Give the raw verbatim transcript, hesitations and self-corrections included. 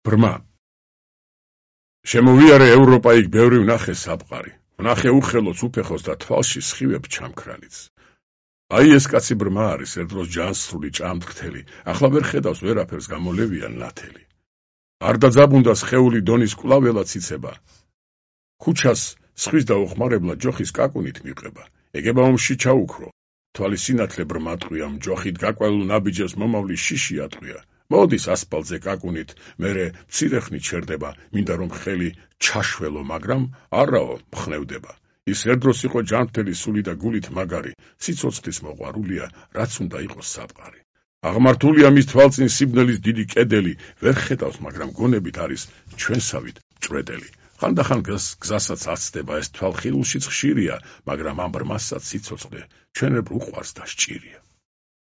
ბრმა. შემოვიარე ევროპა, იქ ბევრი ვნახე საფყარი. ვნახე უხელოც, უფეხოს და თვალში სხივებ ჩამქრალიც. აი ეს კაცი ბრმა არის, ერთ დროს ჯანსრული ჭამთრთელი, ახლა ვერ ხედავს ვერაფერს, გამოლევიან ნათელი. არ დაძაბუნდა სხეული დონის კვლაველად იცება. ქუჩას სხვის დაუხმარებლად ჯოხის კაკუნით მიყება. ეგება ომში ჩაუქრო. თვალი სინათლე ბრმა ტყვია, მჯოხით გაკვალულ ნაბიჯებს მომავლის შიში ატყვია. მოდის ასფალტზე კაკუნით, მერე მცირე ხნით შერდება, მინდა რომ ხელი ჩაშველო, მაგრამ არაო, მხნევდება. ის ერთ დროს იყო ჯანმრთელი სული და გულით მაგარი, სიცოცხლის მოყვარულია, რაც უნდა იყოს საფყარი. აღმართულია მის თვალწინ სიბნელის დიდი კედელი, ვერ ხედავს, მაგრამ გონებით არის ჩვენსავით მჭვრეტელი. ხანდახან გზასაც აცდება, ეს თვალხილულშიც ხშირია, მაგრამ ამ ბრმასაც სიცოცხლე ჩვენებ უყვარს და სჭირია.